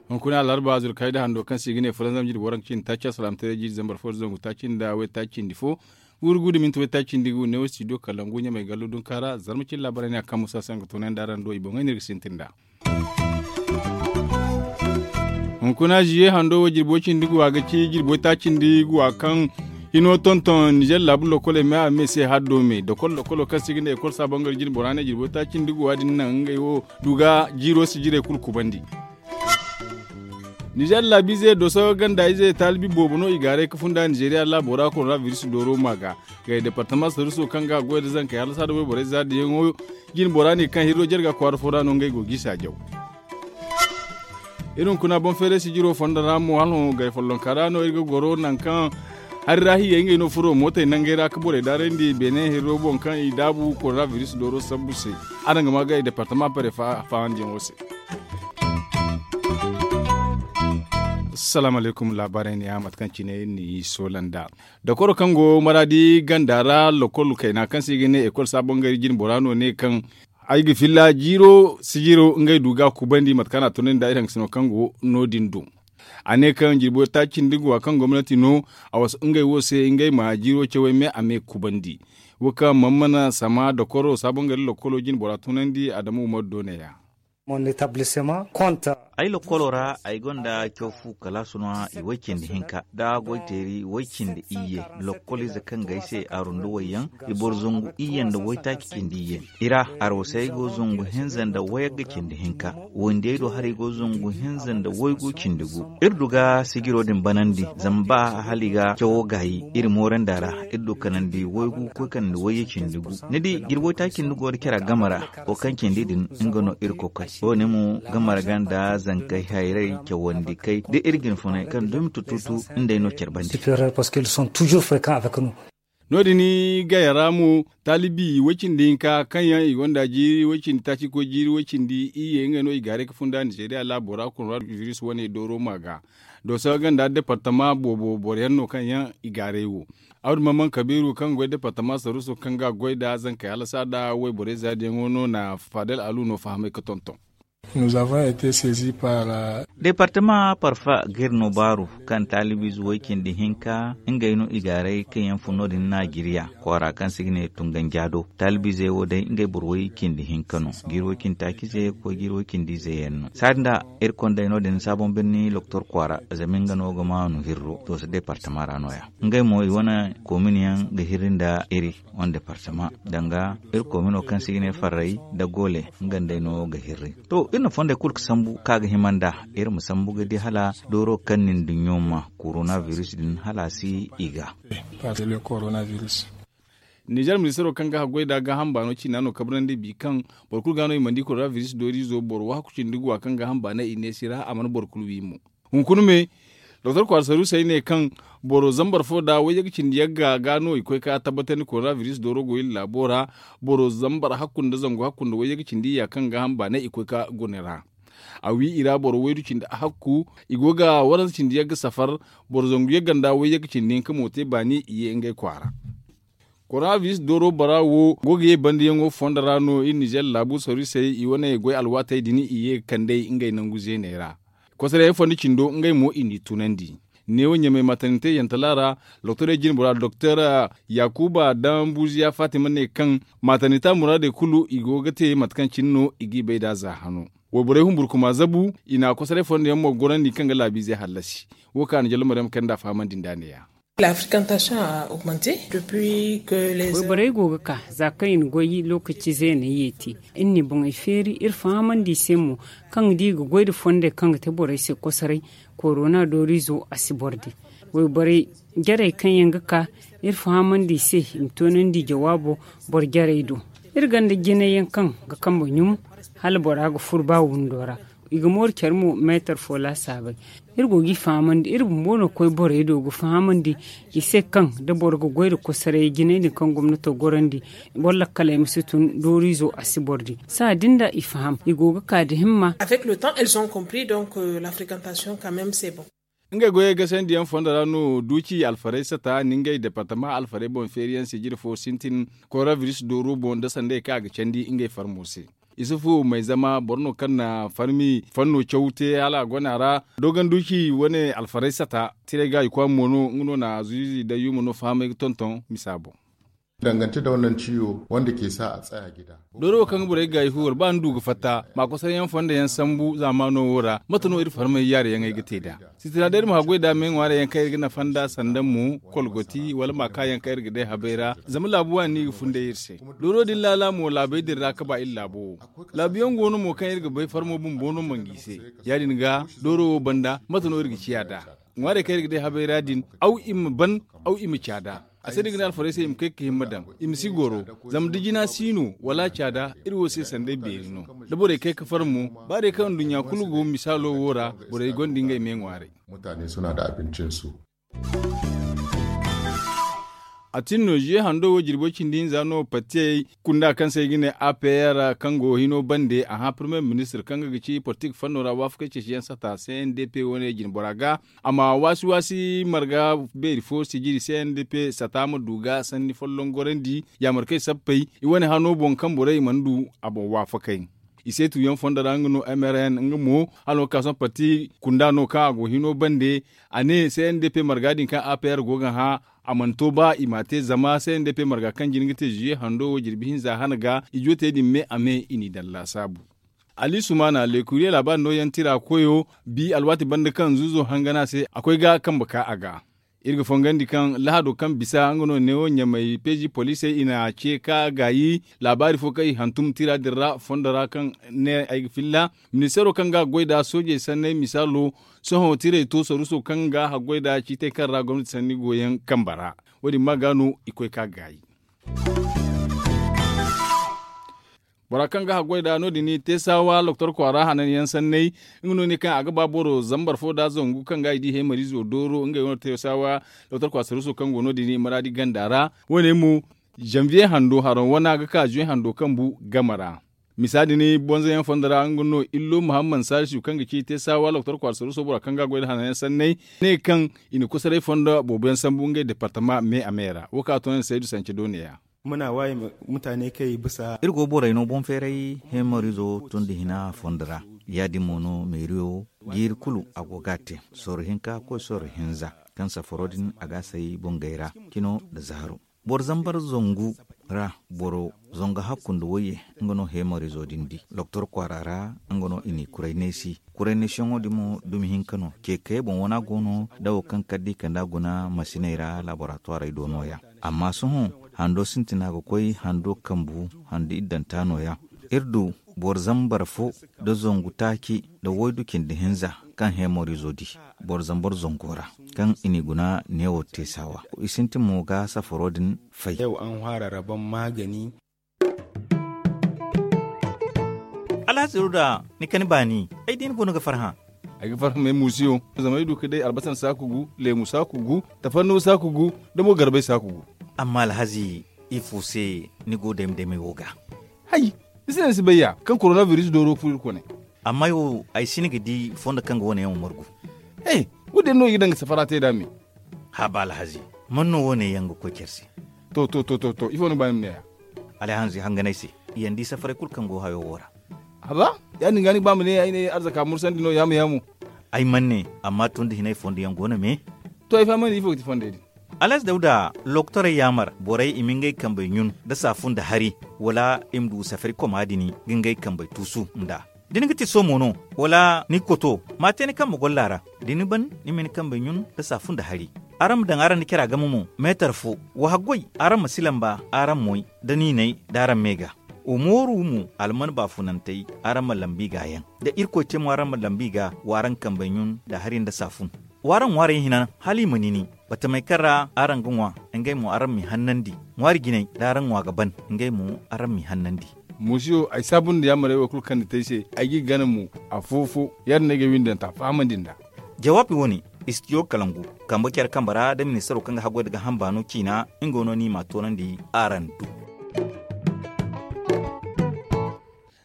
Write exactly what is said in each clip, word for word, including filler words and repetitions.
Hunkuna alarba zurkayda hando kaŋ se i ga ne fulanzam jiri waranka cindi taaci alsalaamataray jiri zambar fo da zangu taaci nda waytaaci cindi fo, guuru guuru da minti waytaaci cindi gu ne wo studio kalangu ɲamay gallo dunka ra zarma cine laabaray ne a kaŋ musa se nga toonandi araŋ do i boŋey no iri ga sintin nd'a. Hunkuna ziye hando wo jirbi way cindi gu a ga ci jirbi waytaaci cindi gu a kaŋ hino tonton nizer laabu lokoley me a me se haddo me dokol dokolo kaŋ se i ga ne ekol saabangari jine bora ne jirbi waytaaci cindi gu a din naŋ ngey wo du ga jiiro sijirey kulu kubandi. Nizer laabiize doso ganda ize taalibi boobo no i gaaray ga funda nizeriya laabo ra korona biris dooro ma ga. Gay departama saruso kaŋ ga a goy nda zankey hala saada wayborey za diyaŋo jine bora ne kaŋ hirro jarga kwaara fo ra no ngey go ga i saajaw. Iri hunkuna boŋ feeray sijiro fondo ra mo hala hõ gay follonka ra no iri ga goro nangu kaŋ hari ra hiyey ngey no furo mootey nangey ra ga borey daarandi beene hirro boŋ kaŋ i daabu korona biris dooro sambu se. Araŋ ga ma gay departama pare faahandiyaŋo se. Salaamu alaykum laabaarey ne ya mate kaŋ cine iri n'i soola nd'a. Dokoro kaŋ go maraadi ganda ra lokol kayna kaŋ se i ga ne ekol saabangari jine bora no ne kaŋ ay ga filla jiiro sijiro ngey du ga a kubandi mate kaŋ a na tunandi nd'a iri hangasino kaŋ go no- din do. A ne kaŋ jirbi waytaaci cindi gu a kaŋ gomnati no a wasu ngey wo se ngey ma jiiro cawey me a me kubandi. Wo kaŋ mammana sama dokoro saabangari lokolo jine bora tunandi adamu umaru do ne ya. Ay lokolo ra ay gonda caw fu kalaasu no i way cindi hinka da goyteeri way cindi iyye. Lokolize kaŋ ga ay se aru nda wayyaŋ i boro zangu iyye nda waytaaci cindi iyye. I ra arwasey go zangu hinza nda wayagga cindi hinka. Wandiyey do haray go zangu hinza nda waygu cindi gu. Iri du ga sijiro din banandi zama ba hala i ga cawo gaayi iri moorandi a ra. Iri du kanandi waygu ga koy kanandi wayye cindi gu. Ni di jirbi waytaaci cindi go da care a game ra. Wo kaŋ cindi din nga no iri kokoy wo- ne mo ga marga nda zankey hayray cawandi kay da iri jinfunay kaŋ dumi tututu nd'ey no care bandi. No- din gaya ra mo taalibi way-cindi hinka kaŋ yaŋ i gonda jiiri way-cindi taaci koy jiiri way-cindi iyye ngey no i gaaray ga funda nizeeriya laabo ra korona biris wane dooro ma ga. Dooso ganda departama boobo boro yaŋ no kaŋ yaŋ i gaaray wo. Abdu mamman kabiiru kaŋ goy departama saruuso kaŋ ga goy nda zankey hala saada wayborey zaadiyaŋo no na faadal alu no fahamay ga tonton. Departama parfa ga iri no baaru kaŋ taalibiize way-cindi hinka ngey no i gaaray kaŋ yaŋ fun no- din naajiriya kwaara kaŋ se i ga ne tunganjaa do. Taalibiizey wo day ngey boro way-cindi hinka no jiiri way-cindi taaciize ga koy jiiri way-cindi ize yaŋ no saadin da iri kondey no- din saabon birni doktor kwaara zama nga no ga maanu hirro dooso departama ra no- ya. Ngey mo i wane komin yaŋ ga hirri nda iri wane departama danga iri komino kaŋ se i ga ne farray nda goole nga nd'ey no ga hirri. To iri na fondey kulu ga sambu kaŋ a ga hima nd'a iri ma sambu ga di hala dooro kaŋ nin duɲɲo ma korona biris din hala a si i ga. Nizer ministaro kaŋ ga haggoy nda gaaham baano ciina no kabrandi bi kaŋ boro kulu ga no i mana di korona biris dooriizo boro wahakku cindi guwa kaŋ gaaham baanay i neesi ra a mana boro kulu wi mo. Hunkuna me doktor kwaara saruusey ne kaŋ boro zambar fo nda wayye ga cindi yagga ga no i koy ka tabbatandi korona biris dooro go iri laabo ra. Boro zambar hakku nda zangu hakku nda wayye ga cindi ya kaŋ gaaham baanay i koy ka guna ra. A wi i ra boro waydu cindi hakku i go ga waranza cindi yagga safar. Boro zangu yagga nda wayye ga cindi hinka mo te baani i ye ngey kwaara. Korona biris dooro bara wo go ga ye bandiyaŋo fondo ra no iri nizer laabu saruusey i wane goy alwaatey din i ye ga kand'ey ngey nangu zeeney ra. Kosoray fondo cindo ngey mo i n'i tunandi. Neewo ɲamay matanite yantala ra doktorey jine bora doktor yakuba daŋ buuziya fatima ne kaŋ matanita muraadey kulu i go ga te mate kaŋ cine no i g'i bay nd'a za hano. Wayborey humburkuma zabu i na kosoray fondo yaŋ mo gorandi kaŋ ga laabiizey hallasi. Wo kaŋ a na jallo maryam kay nd'a fahamandi nd'a ne- ya. Wayborey go ga ka za kaŋ i na goy lookaci zeeney ye te. Iri n'i boŋey feeri iri fahamandi i se mo kaŋ da i ga goy nda fondey kaŋ ga te borey se kosoray korona dooriizo a si boro di. Wayborey jarey kaŋ yaŋ ga ka iri fahamandi i se i ma toonandi jawaabo boro jarey do. Iri gonda jinay yaŋ kaŋ ga kambe ɲum hala bora ga furo ba windo ra. I ga mooru care mo meetar fo laasaabey. Iri go g'i fahamandi iri bumbo no ga koy borey do ga fahamandi i se kaŋ da boro ga goy nda kosoray jinay din kaŋ gomnato gorandi boro lakkaley ma si tun dooriizo a si boro di saha din da i faham i go ga ka nda himma. Avec le temps elles ont compris donc la frequentation quand même c'est bon. Ngey goyey gasandi yaŋ fondo ra no duuci alfarey sata nda ngey departama alfarey boŋ feeri yaŋ sijiri fo sintin, koronabiris dooro boŋ nda sanday kaŋ a ga candi ngey farmo se. Isufu may zama boro no kaŋ na farmi fanno caw te hala a gona ra. Doogan duuci wane alfarey sata tiray ga i kwaama mo no nga no na zuuzi da yuuma no fahamay ga tonton misa boŋ. Dangante da wannan ciwo wanda ke sa a tsaya gida. Dooro wo kaŋ ga borey gaayi huwar ba ni du ga fatta ma kosaray yaŋ fondo yaŋ sambu zaamaano wo ra mate no iri farmay yaare yaŋ ay ga te nd'a? Sitira day iri ma haggoy nd'a me ŋwaarey yaŋ kaŋ iri ga nafa nd'a sanda mo, kolgoti wala maaka yaŋ kaŋ iri ga day habay ra. Zama laabu waani no i ga funday iri se. Dooro din laala mo laabey din ra ga ba iri laabo wo. Laabu yaŋ go no mo kaŋ iri ga bay farmo bumbo no mangu i se. Ya- din ga dooro wo banda mate no iri ga ciya nd'a? Ŋwaarey kaŋ iri ga day habay ra din, aw i ma ban, aw i ma caada. A se da i ga ne alfarey se i ma kay ga hima daŋ, i ma si goro. Zama da jina si no wala caada iri wo se sanday beeri no. Da borey kay ga farmo, ba day kaŋ nduɲɲa kulu go misaalo wo ra, borey gonda ngey me ŋwaarey. Mutane suna da abincinsu. A tin no ziye hando wo jirbo cindi hinza no patiyey kunda kaŋ se i ga ne a p r kaŋ go hino bande a hã parmiye ministir kaŋ ga ga ci politik fanno ra waafakey ceeciyaŋ sata c n d p wane jinbora ga. A ma waasi waasi marga beeri fo sijiri c n d p sata ma du ga sanni folloŋ gorandi yaamarkey sappey i wane hano boŋ kaŋ borey mana du a boŋ waafakey. I seetu yaŋ fondo ra nga no m r n nga mo hala no ga ka sohõ parti kunda no kaŋ a go hino bande. A ne c n d p marga din kaŋ a p r go ga hã a mana to ba i m'a te zama c n d p marga kaŋ jina ga te ziye hando wo jirbi hinza hana ga i jootey din me a me i n'i daŋ laasaabu. Ali sumaana lekuriye laabaari nooyaŋ tira koyo bi alwaati banda kaŋ zuuzo hangana se a koy ga kambe ka a ga. Iri ga fongandi kaŋ lahado kaŋ bisa nga no neewo ɲamay peezi poliisey i na ce ka gaayi laabaari fo kaŋ i hantum tira din ra fondo ra kaŋ ne ay ga filla. Ministeero kaŋ ga a goy nd'a soojey sanney misaalo sohõ tirey to saruuso kaŋ ga haggoy nd'a ciitay kaŋ ra gomnati sanni go yaŋ kambe ra. Wo- din ma ga no i koy ka gaayi. Bora kaŋ ga haggoy nd'a no- din teesaawa loktor kwaara hanan yaŋ sanney. Nga no ne kaŋ a ga ba boro zambar fo nd'a zangu kaŋ ga i di heemariizo dooro ngey wane teesaawa loktor kwaara saruuso kaŋ go no- din maraadi ganda ra. Wo- ne mo zanviye hando haraŋ wana ga ka zuwe hando kaŋ bu game ra. Misa din bonzo yaŋ fondo ra nga no illo muhammad salisu kaŋ ga ci teesaawa loktor kwaara saruuso bora kaŋ ga a goy nda hanan yaŋ sanney ne kaŋ i na kosoray fondo boobo yaŋ sambu ngey departama me a me ra wo kaŋ a to no ni saydu sance doone ya. Muna waye mutane kay bisa. Iri go borey no boŋ feeray heemariizo tun da hina fondo ra. Ya- din mo no meeriyo jiiri kulu a go ga a te sorro hinka koy sorro hinza kaŋ safaro din a ga a say bongey ra cino nda zaaro. Boro zambar zangu ra boro zangu hakku nda wayye. Nga no heemariizo din di doktor kwaara ra. Nga no i n'i kuray neesi kuray neesiyaŋo din mo dumi hinka no ce kayey boŋ wana go no da wo kaŋ kala da i kand'a guna masiney ra laboratoirey do nooya. Amma sohõ hando sintina ga koy hando kambu hando iddanta nooya. Iri du boro zambar fo nda zangu taaci nda waydu cindi hinza kaŋ heemariizo di boro zambar zango ra kaŋ i n'i guna neewo teesaawa. I sintin mo ga safaro din fay. Yau an hwara rabon magani. Alhaziru da ni kani baani ay di ni go no ga farhã. Ay ga farhã may muusiyo zama ay du ga day albasan saaku gu leemu saaku gu tafanno saaku gu da mo garbay saaku gu. Amma alhazi ifo se ni go dayma daymay wo ga? Hay, ni si ne ni si bay ya kaŋ koronabiris dooro furo iri kone. Amma ay wo ay si ni ga di fondo kaŋ ga wane yaŋ wo margu. He, wo- din no i ga daŋ ga safara te nd'a me. Haaba alhazi, man no wo- ne yaŋ ga koy care se? To to to to to ifo no ga ba ni ma ne ya? Alhazi hanganay se, yaŋ di safaray kulu kaŋ go hayo wo ra. Haba, ya- din ga ni ga ba ma ne ay ne arzaka mursandi no yaamu yaamu. Ay mana ne, amma tun da hinay fondo yaŋ go no me. To ay fahamandi ifo ga ti fondey din? Alhazi dawda loktorey yaamar borey i ma ngey kambey ɲun nda saafu nda hari, wala i ma du safari koma din ga ngey kambey tuusu nd'a. Da ni ga ti somo no, wala ni ga koto, ma te ni kambe golla ra. Da ni ban, ni ma ni kambey ɲun nda saafu nda hari. Araŋ ma daŋ araŋ nda cara game mo meetar fo. Wa haggoy, araŋ ma si lamba araŋ moy nda niinay d'araŋ me ga. Wa mooru mo alman baafunantey, araŋ ma lambu i ga yaŋ. Da irkoy te mo araŋ ma lambu i ga, w'araŋ kambey ɲun nda hari nda saafun. W'araŋ ŋwaarey hina hala i ma nini. Batamey kaŋ ra araŋ ga ŋwa, ngey mo araŋ m'i hannandi. Ŋwaari jinay da araŋ ŋwa ga ban, ngey mo araŋ m'i hannandi. Muusiyo ay saabu nda yaamarey wo kulu kaŋ ni te ay se, ay g'i gana mo afo-fo. Ya- din no ay ga ay windanta fahamandi nd'a. Jawaabi wo- ne, istidiyo kalangu, kambe care kambe ra da ministaro kaŋ ga haggoy nda gaaham baano ciina. Nga no no i m'a toonandi araŋ do.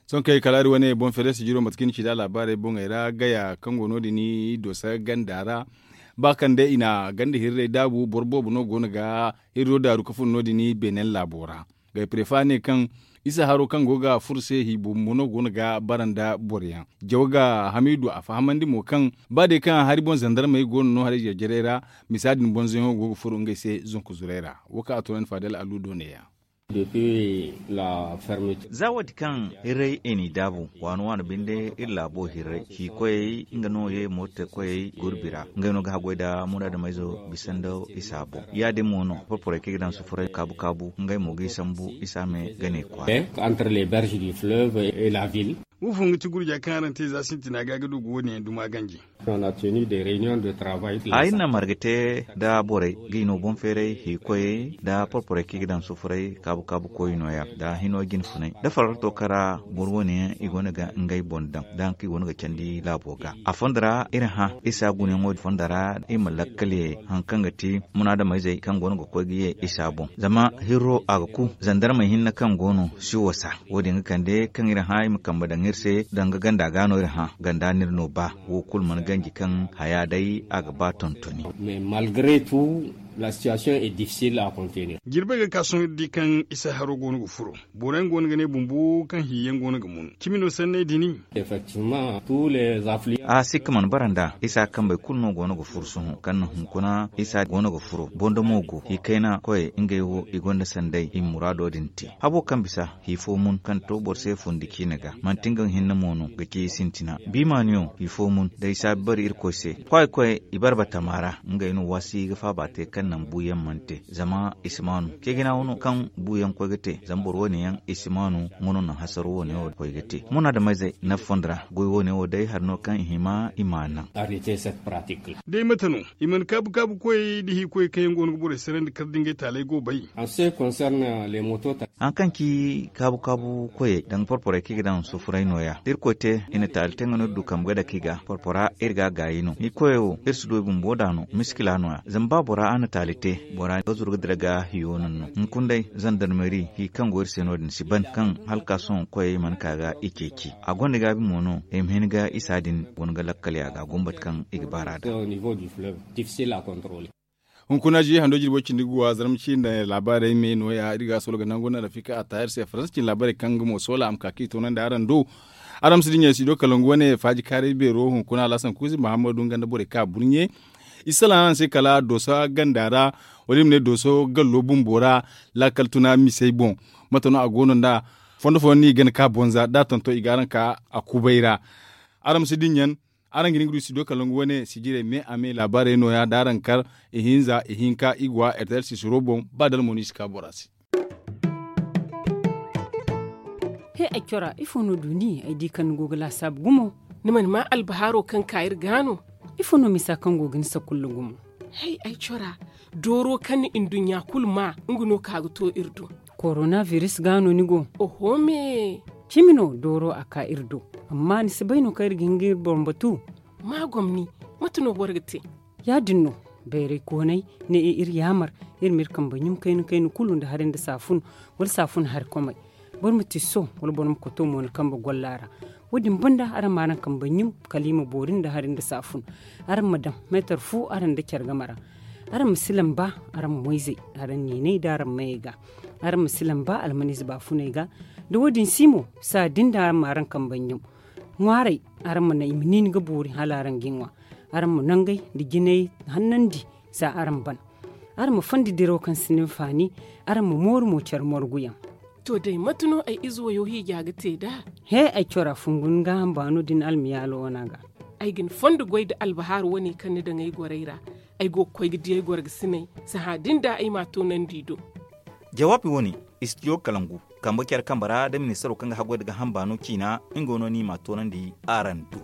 Sohõ kaŋ ay kalaari wane boŋ feere sijiro mate kaŋ i na ci nd'a laabaarey boŋey ra gaya kaŋ go no- din i doosa ganda ra. Ba kaŋ day i na ganda hirray daabu boro boobo no go no ga hirro daaru ka fun no- din beenen laabo ra. Gayprefa ne kaŋ isa haro kaŋ go ga furo se hi bumbo no go no ga bara nda boro yaŋ. Jaw ga hamidu a fahamandi mo kaŋ ba day kaŋ hari boŋ zandarmey go no no haray jare-jaray ra, misa din bonzoyaŋo go ga furo ngey se zanku zuray ra. Wo kaŋ a toonandi faadal aludo ne- ya. Za wo- din kaŋ hirray i n'i daabu waano waano binde iri laabo hirray hiikoyey nga no ye mootey koyey gurbi ra ngey no ga haggoy nda munaadameyzo bisa nda isa boŋ. Ya- din mo no porporey kaŋ i ga daŋ sufuray kaabu kaabu ngey mo g'i sambu isa me ga ne kwaara. Wo fo nga ti gurja kaŋ araŋ te za sintina ga ga du ga wo- din yaŋ duma ganji. A iri na marga te nda borey ga i no boŋ feeray hiikoyey nda porporey kaŋ i ga daŋ sufuray kaabu kaabu koy nooya nda hino jine funay nda fararto kaŋ ra boro wane yaŋ i go no ga ngey boŋ daŋ nda hari kaŋ i go no ga candi laabo ga a fondo ra iri hã isa gunayaŋo din fondo ra i ma lakkal ye hari kaŋ ga ti munaadameyzey kaŋ go no ga koy ga ye isa boŋ zama hirro a ga ku zandarmey hinne kaŋ go no si wasa. Wo- din ga kande kaŋ iri hã i ma kambe daŋ iri se danga ganda ga no iri hã ganda no iri no ba. Wo kulu mana ganji kaŋ haya day a ga ba tontoni. Jirbey ga ka sohõ iri di kaŋ isa haro go no ga furo. Boro yaŋ go no ga ne bumbo kaŋ hi yaŋ go no ga mun cimi no sanney din. A sikka mana bara nd'a isa kambey kulu no go no ga furo sohõ kaŋ na hunkuna isa go no ga furo bondo mo go hi kayna koyey ngey wo i gonda sanday i ma muraado din te habo kaŋ bisa hi fo mun kaŋ to boro se fundi ciine ga manti nga hinne mo no ga ci i sintina biimaaniyo hi fo mun day saabi bari irkoy se kwaayi koyey i bare batama ra. Ngey no waasi ga faaba te kaŋ naŋ buuyaŋ mana te zama i si maanu ceejina wano kaŋ buuyaŋ koy ga te zama boro wane yaŋ i si maanu nga no naŋ hasaro wane wo koy ga te munaadameyzey nafa fondo ra goy wane wo day hari no kaŋ i hima i ma a naŋ. Day mate no i mana kaabu kaabu koyey nda hiikoyey kaŋ yaŋ go no ga borey sarandi kar da ngey taaley go bay. Hari kaŋ ci kaabu kaabu koyey danga porporey kaŋ i ga daŋ sufuray nooya da irkoy te i na taali te nga no iri du kambe ga dake i ga porpora iri ga a gaayi no hiikoyey wo iri si du i bumbo nd'a no miskila nooya zama ba bora a na taali te bora ga zuru ga dira ga hiyo naŋ no hunkuna day zandarmeri hi kaŋ go iri se no- din si ban kaŋ hala ka sohõ koyey mana ka ga i ceeci a gonda gaabi mo no i ma hin ga isa din guna ga lakkal ya ga gumbati kaŋ i ga baar'a da. Hunkuna zi hando jirbo cindi guwa zarma ciine laabaarey me nooya iri ga a solo ga nangu na rafika a taahir se faransa cine laabaarey kaŋ nga mo soola a ma ka kaŋ i toonandi araŋ do. Araŋ ma si dinya studio kalangu wane faaji kaaray beero hunkuna alhasan kuuzi muhammadu nga nda borey kaŋ a burɲe i salaŋ araŋ se kala dooso ganda ra wala i ma ne dooso gallo bumbo ra laakal tuna misey boŋ. Mate no a go no nd'a fondo fooyaŋ no i gana ka bonza da a tonton i ga araŋ ka a kubay ra. Araŋ ma si dinya araŋ ga hin ga du studio kalangu wane sijirey me a me laabaarey nooya da araŋ kar ihinza ihinka i go a rtl sisiro boŋ ba dala mo no i si ka bora se. He ay cora ifo no du ni ay di kaŋ ni go ga laasaabu gumo? Ni mana maa albahaaro kaŋ ka iri ga no? Ifo no misa kaŋ go ga ni sakulla gumo? Hay ay cora dooro kaŋ ni nduɲɲa kulu maa nga no ka ga to iri do. Korona biris ga no ni go? Oho me. Cimi no dooro a ka iri do. Amma ni si bay no kaŋ iri ga hin ga iri boŋ batu? Ma gomni. Mate no boro ga te? Ya- din no. Bayray koonay ne iri yaamar iri ma iri kambe ɲum kayna kayna kulu nda hari nda saafun wala saafun hari komey. Boro ma tisso wala boro ma koto mo ni kambe golla ra. Wo- din banda araŋ ma araŋ kambe ɲum kala i ma boori nda hari nda saafun. Araŋ ma daŋ meetar fu araŋ nda care game ra. Araŋ ma si lamba araŋ moyzey araŋ neeney nda araŋ mayey ga. Araŋ ma si lamba almaniize baafuney ga. Da wo- din si mo saa din da araŋ ma araŋ kambe ɲum. Ŋwaaray araŋ ma naŋ i ma niini ga boori hala araŋ g'i ŋwa. Araŋ ma nangey nda jinay hannandi za araŋ ban. Araŋ ma fondi diraw kaŋ si ni hinfaani. Araŋ ma mooru mo care morguyaŋ. To day mate no ay ize wayo hiija ga te nd'a? He ay cora fungu ni gaaham baano da ni almiyaalo wana ga. Ay ga ni fondo goy nda albahaari wane kaŋ ni daŋ ay gorey ra. Ay go ga koy ga di ay gorgasiney. Sahã din da ay m'a toonandi i do. Jawaabi wane, istidiyo kalangu kambe care kambe ra nda ministaro kaŋ ga haggoy nda gaaham baano ciina nga no no i m'a toonandi araŋ do.